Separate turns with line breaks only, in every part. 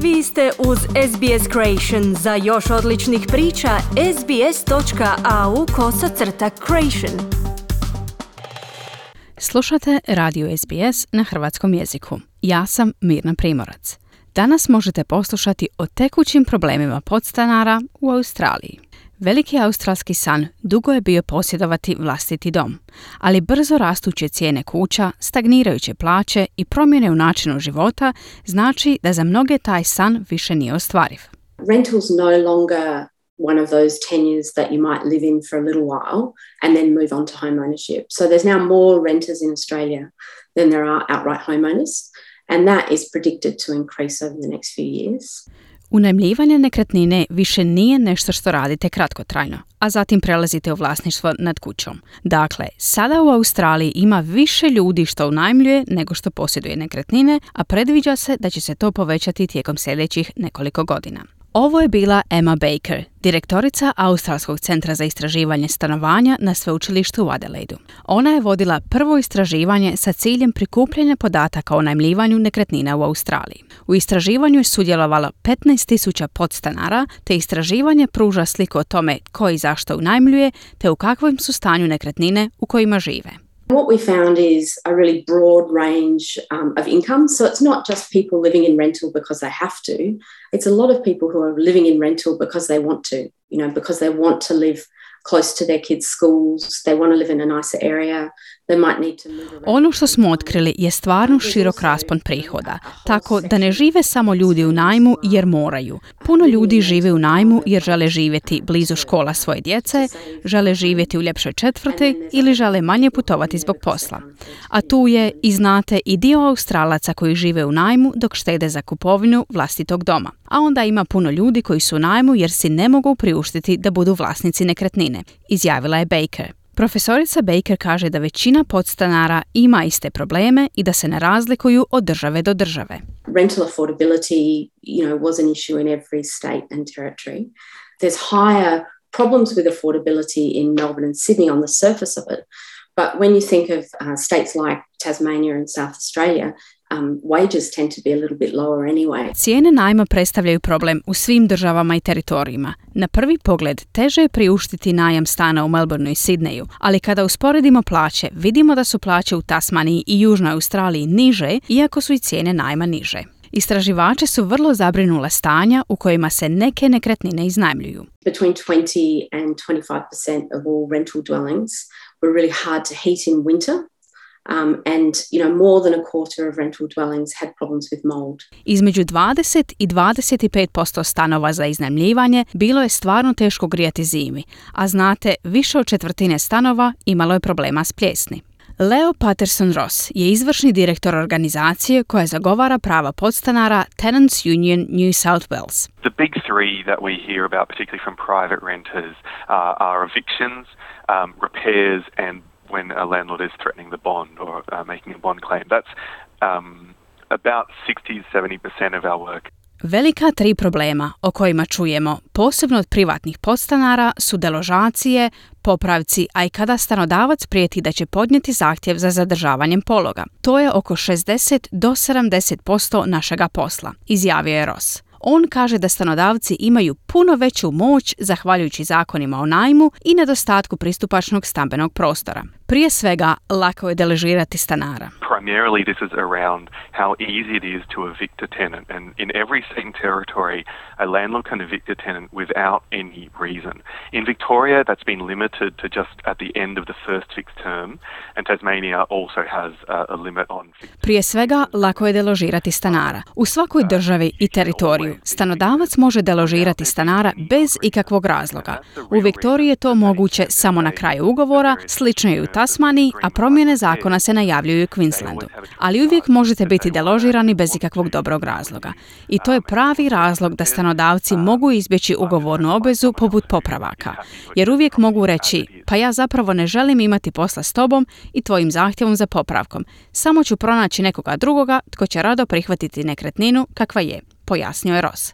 Vi ste uz SBS Creation. Za još odličnih priča, sbs.au/creation.
Slušate Radio SBS na hrvatskom jeziku. Ja sam Mirna Primorac. Danas možete poslušati o tekućim problemima podstanara u Australiji. Veliki australski san dugo je bio posjedovati vlastiti dom, ali brzo rastuće cijene kuća, stagnirajuće plaće i promjene u načinu života znači da za mnoge taj san više nije ostvariv.
Rental's no longer one of those tenures that you might live in for a little while and then move on to home ownership. So there's now more renters in Australia than there are outright homeowners, and that is predicted to increase over the next few years.
Unajmljivanje nekretnine više nije nešto što radite kratkotrajno, a zatim prelazite u vlasništvo nad kućom. Dakle, sada u Australiji ima više ljudi što unajmljuje nego što posjeduje nekretnine, a predviđa se da će se to povećati tijekom sljedećih nekoliko godina. Ovo je bila Emma Baker, direktorica Australskog centra za istraživanje stanovanja na sveučilištu u Adelaidu. Ona je vodila prvo istraživanje sa ciljem prikupljanja podataka o unajmljivanju nekretnina u Australiji. U istraživanju je sudjelovalo 15.000 podstanara, te istraživanje pruža sliku o tome ko i zašto unajmljuje, te u kakvom su stanju nekretnine u kojima žive.
What we found is a really broad range of income. So it's not just people living in rental because they have to. It's a lot of people who are living in rental because they want to, because they want to live close to their kids' schools, they want to live in a nicer area, they might need to move around.
Ono što smo otkrili je stvarno širok raspon prihoda, tako da ne žive samo ljudi u najmu jer moraju. Puno ljudi žive u najmu jer žele živjeti blizu škola svoje djece, žele živjeti u ljepšoj četvrti ili žele manje putovati zbog posla. A tu je, i znate, i dio Australaca koji žive u najmu dok štede za kupovinu vlastitog doma. A onda ima puno ljudi koji su u najmu jer si ne mogu priuštiti da budu vlasnici nekretnine, izjavila je Baker. Profesorica Baker kaže da većina podstanara ima iste probleme i da se ne razlikuju od države do države.
Rental affordability, was an issue in every state and territory. There's higher problems with affordability in Melbourne and Sydney on the surface of it. But when you think of states like Tasmania and South Australia, wages tend to be a little bit lower anyway.
Cijene najma predstavljaju problem u svim državama i teritorijima. Na prvi pogled teže je priuštiti najam stana u Melbourneu i Sidneju, ali kada usporedimo plaće, vidimo da su plaće u Tasmaniji i Južnoj Australiji niže, iako su i cijene najma niže. Istraživači su vrlo zabrinule stanja u kojima se neke nekretnine iznajmljuju.
Between 20 and 25% of all rental dwellings were really hard to heat in winter. And more than a quarter of rental dwellings had problems with mold.
Između 20 i 25% stanova za iznajmljivanje bilo je stvarno teško grijati zimi, a znate, više od četvrtine stanova imalo je problema s pljesni. Leo Patterson-Ross je izvršni direktor organizacije koja zagovara prava podstanara Tenants Union New South Wales.
The big three that we hear about, particularly from private renters, are evictions, repairs, and when a landlord is threatening the bond or making a bond claim. That's about 60-70% of our work.
Velika tri problema o kojima čujemo, posebno od privatnih podstanara, su deložacije, popravci, a i kada stanodavac prijeti da će podnijeti zahtjev za zadržavanjem pologa. To je oko 60 do 70% našega posla, izjavio je Ross. On kaže da stanodavci imaju puno veću moć zahvaljujući zakonima o najmu i nedostatku pristupačnog stambenog prostora. Prije svega, lako je deložirati stanara.
Primarily this is around how easy it is to evict a tenant, and in every state and territory a landlord can evict a tenant without any reason. In Victoria that's been limited to just at the end of the first fixed term, and Tasmania also has a limit on fixed.
Prije svega, lako je deložirati stanara. U svakoj državi i teritoriju stanodavac može deložirati stanara bez ikakvog razloga. U Viktoriji je to moguće samo na kraju ugovora, slično je u Tasmaniji, a promjene zakona se najavljuju u Queenslandu. Ali uvijek možete biti deložirani bez ikakvog dobrog razloga. I to je pravi razlog da stanodavci mogu izbjeći ugovornu obvezu poput popravaka. Jer uvijek mogu reći, pa ja zapravo ne želim imati posla s tobom i tvojim zahtjevom za popravkom. Samo ću pronaći nekoga drugoga tko će rado prihvatiti nekretninu kakva je, pojasnio je Ross.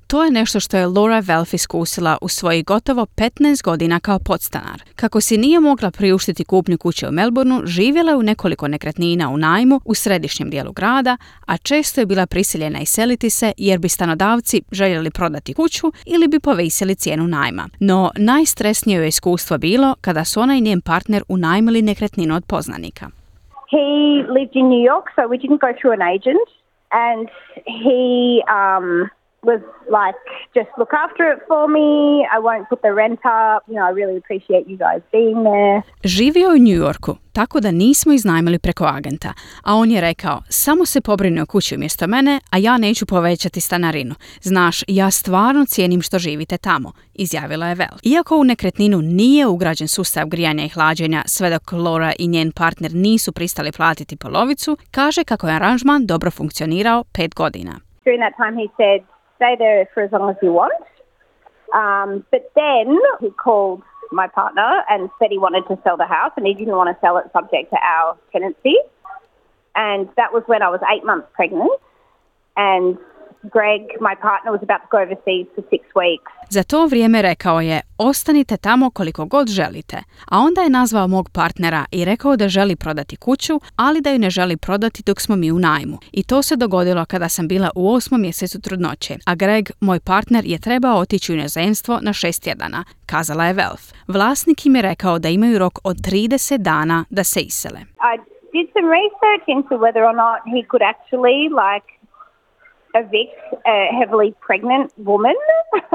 To je nešto što je Laura Velf iskusila u svojih gotovo 15 godina kao podstanar. Kako si nije mogla priuštiti kupnju kuće u Melbourneu, živjela je u nekoliko nekretnina u najmu u središnjem dijelu grada, a često je bila prisiljena iseliti se jer bi stanodavci željeli prodati kuću ili bi povisili cijenu najma. No, najstresnije joj iskustvo bilo kada su ona i njen partner unajmili nekretninu od poznanika.
He lived in New York, so we didn't go through an agent, and he was like, just look after it for me, I won't put the rent up, you know, I really appreciate you guys being there.
Živio je u New Yorku, tako da nismo iznajmili preko agenta, a on je rekao, samo se pobrini o kući umjesto mene, a ja neću povećati stanarinu. Znaš, ja stvarno cijenim što živite tamo, izjavila je Vel. Iako u nekretninu nije ugrađen sustav grijanja i hlađenja, sve dok Laura i njen partner nisu pristali platiti polovicu, kaže kako je aranžman dobro funkcionirao 5 godina.
During that time he said, stay there for as long as you want. But then he called my partner and said he wanted to sell the house and he didn't want to sell it subject to our tenancy. And that was when I was 8 months pregnant. And Greg, my partner, was about to go overseas for 6 weeks.
Za to vrijeme rekao je, ostanite tamo koliko god želite. A onda je nazvao mog partnera i rekao da želi prodati kuću, ali da ju ne želi prodati dok smo mi u najmu. I to se dogodilo kada sam bila u 8. mjesecu trudnoće, a Greg, moj partner, je trebao otići u inozemstvo na 6 tjedana, kazala je Velf. Vlasnik im je rekao da imaju rok od 30 dana da se isele.
I did some research into whether or not he could actually evict a heavily pregnant woman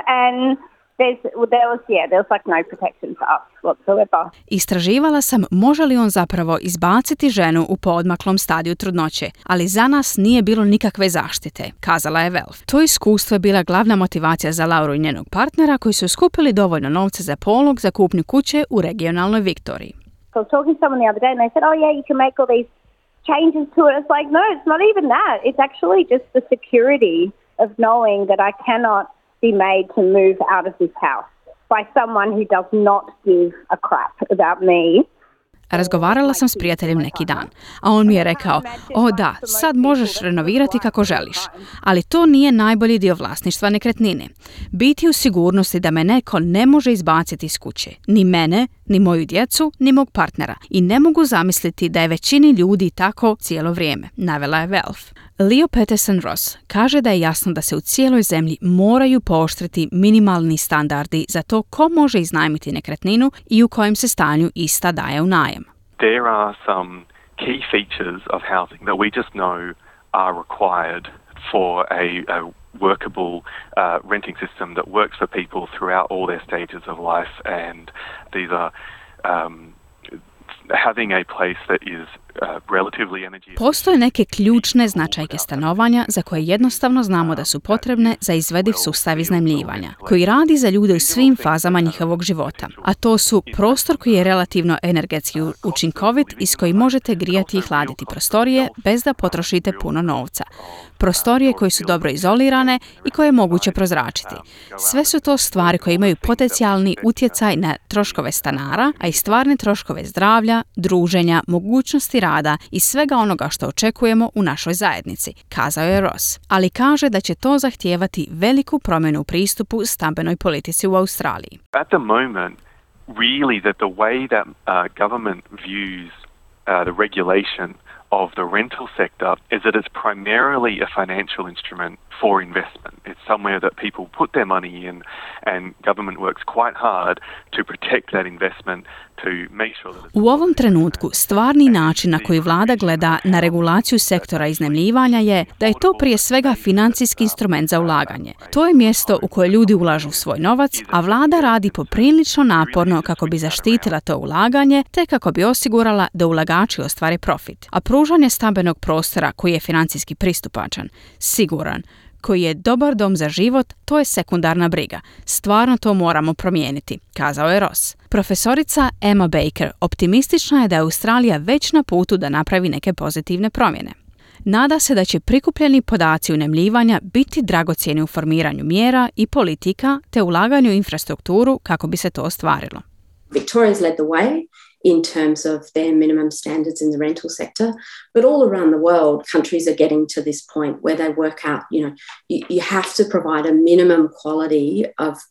and there was like no protection for us whatsoever.
Istraživala sam može li on zapravo izbaciti ženu u poodmaklom stadiju trudnoće, ali za nas nije bilo nikakve zaštite, kazala je Velf. To iskustvo je bila glavna motivacija za Lauru i njenog partnera koji su skupili dovoljno novca za polog za kupnju kuće u regionalnoj Viktoriji.
I was talking to someone the other day and they said, oh yeah, you can make all these changes to it. It's like, no, it's not even that. It's actually just the security of knowing that I cannot be made to move out of this house by someone who does not give a crap about me.
Razgovarala sam s prijateljem neki dan, a on mi je rekao, o da, sad možeš renovirati kako želiš, ali to nije najbolji dio vlasništva nekretnine. Biti u sigurnosti da me neko ne može izbaciti iz kuće, ni mene, ni moju djecu, ni mog partnera. I ne mogu zamisliti da je većini ljudi tako cijelo vrijeme, navela je Velf. Leo Peterson Ross kaže da je jasno da se u cijeloj zemlji moraju pooštriti minimalni standardi za to ko može iznajmiti nekretninu i u kojem se stanju ista daje u najam.
There are some key features of housing that we just know are required for a workable renting system that works for people throughout all their stages of life, and these are having a place that is relatively energy.
Postoje neke ključne značajke stanovanja za koje jednostavno znamo da su potrebne za izvediv sustav iznajmljivanja, koji radi za ljude u svim fazama njihovog života. A to su prostor koji je relativno energetski učinkovit i s kojim možete grijati i hladiti prostorije bez da potrošite puno novca. Prostorije koje su dobro izolirane i koje je moguće prozračiti. Sve su to stvari koje imaju potencijalni utjecaj na troškove stanara, a i stvarne troškove zdravlja, druženja, mogućnosti rada i svega onoga što očekujemo u našoj zajednici, kazao je Ross. Ali kaže da će to zahtijevati veliku promjenu u pristupu stambenoj politici u Australiji.
At the moment, really the way that government views the regulation of the rental sector is that it's primarily a financial instrument for investment. It's somewhere that people put their money in and government works quite hard to protect that investment to make sure that
U ovom trenutku stvarni način na koji vlada gleda na regulaciju sektora iznajmljivanja je da je to prije svega financijski instrument za ulaganje. To je mjesto u koje ljudi ulažu svoj novac, a vlada radi poprilično naporno kako bi zaštitila to ulaganje te kako bi osigurala da ulagači ostvare profit. A pružanje stambenog prostora koji je financijski pristupačan, siguran, koji je dobar dom za život, to je sekundarna briga. Stvarno to moramo promijeniti, kazao je Ross. Profesorica Emma Baker optimistična je da je Australija već na putu da napravi neke pozitivne promjene. Nada se da će prikupljeni podaci unajmljivanja biti dragocjeni u formiranju mjera i politika te ulaganju u infrastrukturu kako bi se to ostvarilo.
Victoria's led the way in terms of their minimum standards in the rental sector. But all around the world, countries are getting to this point where they work out, you have to provide a minimum quality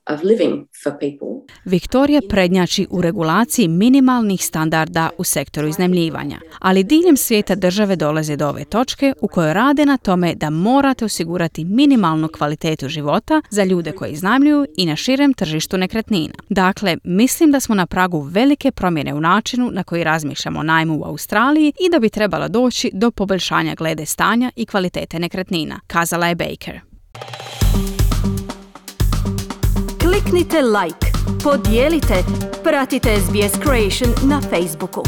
of living for people.
Viktorija prednjači u regulaciji minimalnih standarda u sektoru iznajmljivanja, ali diljem svijeta države dolaze do ove točke u kojoj rade na tome da morate osigurati minimalnu kvalitetu života za ljude koji iznajmljuju i na širem tržištu nekretnina. Dakle, mislim da smo na pragu velike promjene u načinu na koji razmišljamo o najmu u Australiji i da bi trebalo doći do poboljšanja glede stanja i kvalitete nekretnina, kazala je Baker.
Kliknite like, podijelite, pratite SBS Creation na Facebooku.